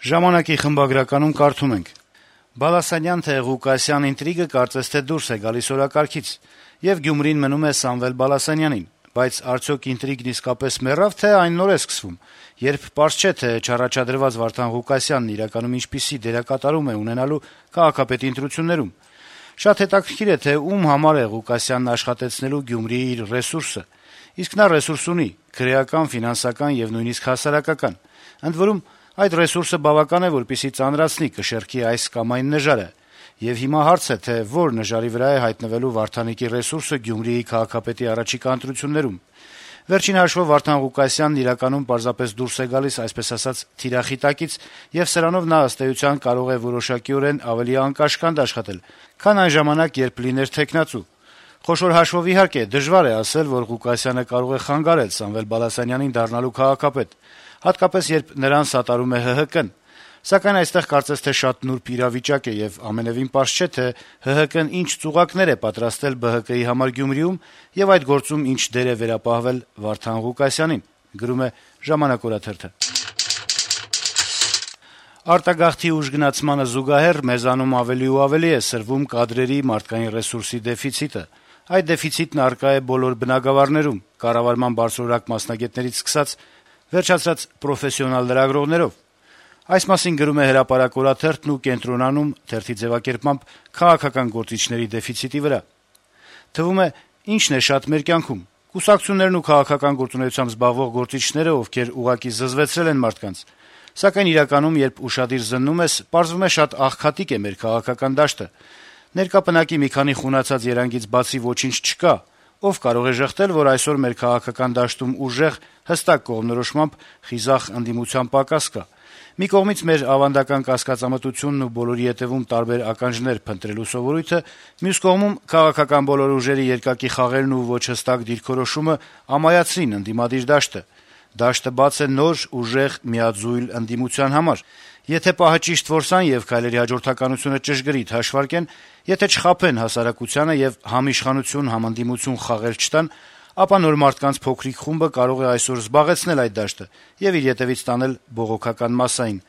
Ժամանակի խմբագրականում կարդում ենք. - «Բալասանյան թե Ղուկասյան ինտրիգը կարծես թե դուրս է գալիս օրակարգից, եւ Գյումրին մնում է Սամվել Բալասանյանին, բայց արդյոք ինտրիգն իսկապես մեռավ, թե այն նոր է սկսվում, երբ պարզ չէ, թե չառաջադրված Վարդան Ղուկասյանն իրականում ինչպիսի դերակատարում է ունենալու քաղաքապետի ընտրություններում: Շատ հետաքրքիր է, թե ում համար է Ղուկասյանն աշխատեցնելու Գյումրիի իր ռեսուրսը, իսկ նա ռեսուրս ունի՝ քրեական, ֆինանսական եւ նույնիսկ հասարակական: Ընդ որում, այդ ռեսուրսը բավական է, որպեսզի ծանրացնի կշեռքի այս կամ այն նժարը: Եվ հիմա հարց է, թե որ նժարի վրա է հայտնվելու Վարդանիկի ռեսուրսը Գյումրիի քաղաքապետի առաջիկա ընտրություններում: Վերջին հաշվով Վարդան Ղուկասյանն իրականում պարզապես դուրս է գալիս, այսպես ասած, թիրախիտակից, եւ սրանով նա ըստ էության կարող է որոշակիորեն ավելի անկաշկանդ աշխատել, քան այն ժամանակ, երբ լիներ թեկնածու: Խոշոր հաշվով, իհարկե, դժվար է ասել, որ Ղուկասյանը կարող է խանգարել Սամվել Բալասանյանին դառնալու քաղաքապետ, հատկապես երբ նրան սատարում է ՀՀԿ-ն: Սակայն այստեղ կարծես թե շատ նուրբ իրավիճակ է, եւ ամենեւին պարզ չէ, թե ՀՀԿ-ն ինչ ծուղակներ է պատրաստել ԲՀԿ-ի համար Գյումրիում եւ այդ գործում ինչ դեր է վերապահվել Վարդան Ղուկասյանին»: Արտագաղթի ուժգնացմանը զուգահեռ մեզանում ավելի ու ավելի է սրվում կադրերի, մարդկային ռեսուրսի դեֆիցիտը: Այդ դեֆիցիտն առկա է բոլոր բնագավառներում՝ կառավարման բարձրորակ մասնագետներից սկսած վերջացրած պրոֆեսիոնալ լրագրողներով: Այս մասին գրում է «Հրապարակ» օրաթերթն ու կենտրոնանում թերթի ձեւակերպմամբ քաղաքական գործիչների դեֆիցիտի վրա: Թվում է, ինչն է շատ մեր կյանքում՝ կուսակցություններն ու քաղաքական գործունեությամբ զբաղվող գործիչները, ովքեր ուղղակի զզվեցրել են մարդկանց: Սակայն իրականում, երբ ուշադիր զննում ես, պարզվում է շատ աղքատիկ է մեր քաղաքական դաշտը: Ներկա պնակի մի քանի խունացած երանգից բացի ոչինչ չկա: Ով կարող է ժխտել, որ այսօր մեր քաղաքական դաշտում ուժեղ, հստակ կողմնորոշմամբ խիզախ ընդդիմության պակաս կա: Մի կողմից մեր ավանդական կասկածամտությունն ու բոլորի ետեւում տարբեր ականջներ փնտրելու սովորույթը, մյուս կողմում քաղաքական բոլոր ուժերի երկակի խաղերն ու ոչ հստակ դիրքորոշումը ամայացրին ընդդիմադիր դաշտը: Դաշտը բաց է նոր, ուժեղ, միաձույլ ընդդիմության համար: Եթե պահը ճիշտ որսան եւ քայլերի հաջորդականությունը ճշգրիտ հաշվարկեն, եթե չխաբեն հասարակությանը եւ համիշխանություն, համընդդիմություն խաղեր չտան, ապա նոր մարդկանց փոքրիկ խումբը կարող է այսօր զբաղեցնել այդ դաշտը եւ իր ետեւից տանել բողոքական մասսային: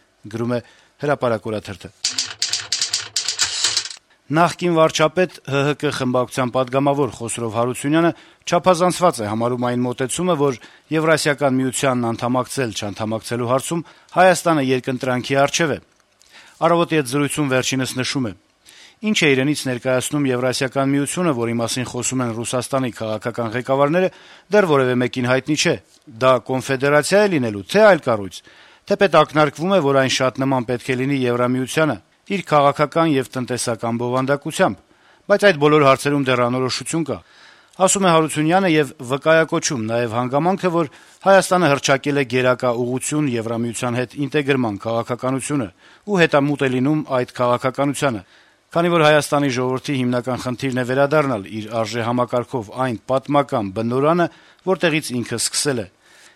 Նախկին վարչապետ, ՀՀԿ խմբակցության պատգամավոր Խոսրով Հարությունյանը չափազանցված է համարում այն մոտեցումը, որ Եվրասիական միությանն անդամակցել-չանդամակցելու հարցում Հայաստանը երկընտրանքի առջեւ է: «Առավոտ»-ի հետ զրույցում վերջինս նշում է. - «Ինչ է իրենից ներկայացնում Եվրասիական միությունը, որի մասին խոսում են Ռուսաստանի քաղաքական ղեկավարները, դեռ որեւէ մեկին հայտնի չէ: Դա կոնֆեդերացիա է լինելու, թե՞ այլ կառույց: Թեպետ ակնարկվում է, որ այն շատ նման պետք է լինի Եվրամիությանը՝ իր քաղաքական եւ տնտեսական բովանդակությամբ: Բայց այդ բոլոր հարցերում դեռ անորոշություն կա», - ասում է Հարությունյանը եւ վկայակոչում նաեւ հանգամանքը, որ Հայաստանը հռչակել է գերակա ուղղություն Եվրամիության հետ ինտեգրման քաղաքականությունը ու հետամուտ է լինում այդ քաղաքականությանը: Քանի որ Հայաստանի ժողովրդի հիմնական խնդիրն է վերադառնալ իր արժեհամակարգով այն պատմական բնօրրանը, որտեղից ինքը սկսել է: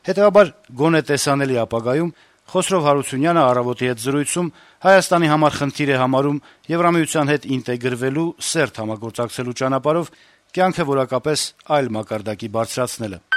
Հետեւաբար, գոնե տեսանելի ապագայում Խոսրով Հարությունյանը «Առավոտ»-ի հետ զրույցում Հայաստանի համար խնդիր է համարում Եվրամիության հետ ինտեգրվելու, սերտ համագործակցելու ճանապարհով կյանքը որակապես այլ մակարդակի բարձրացնելը: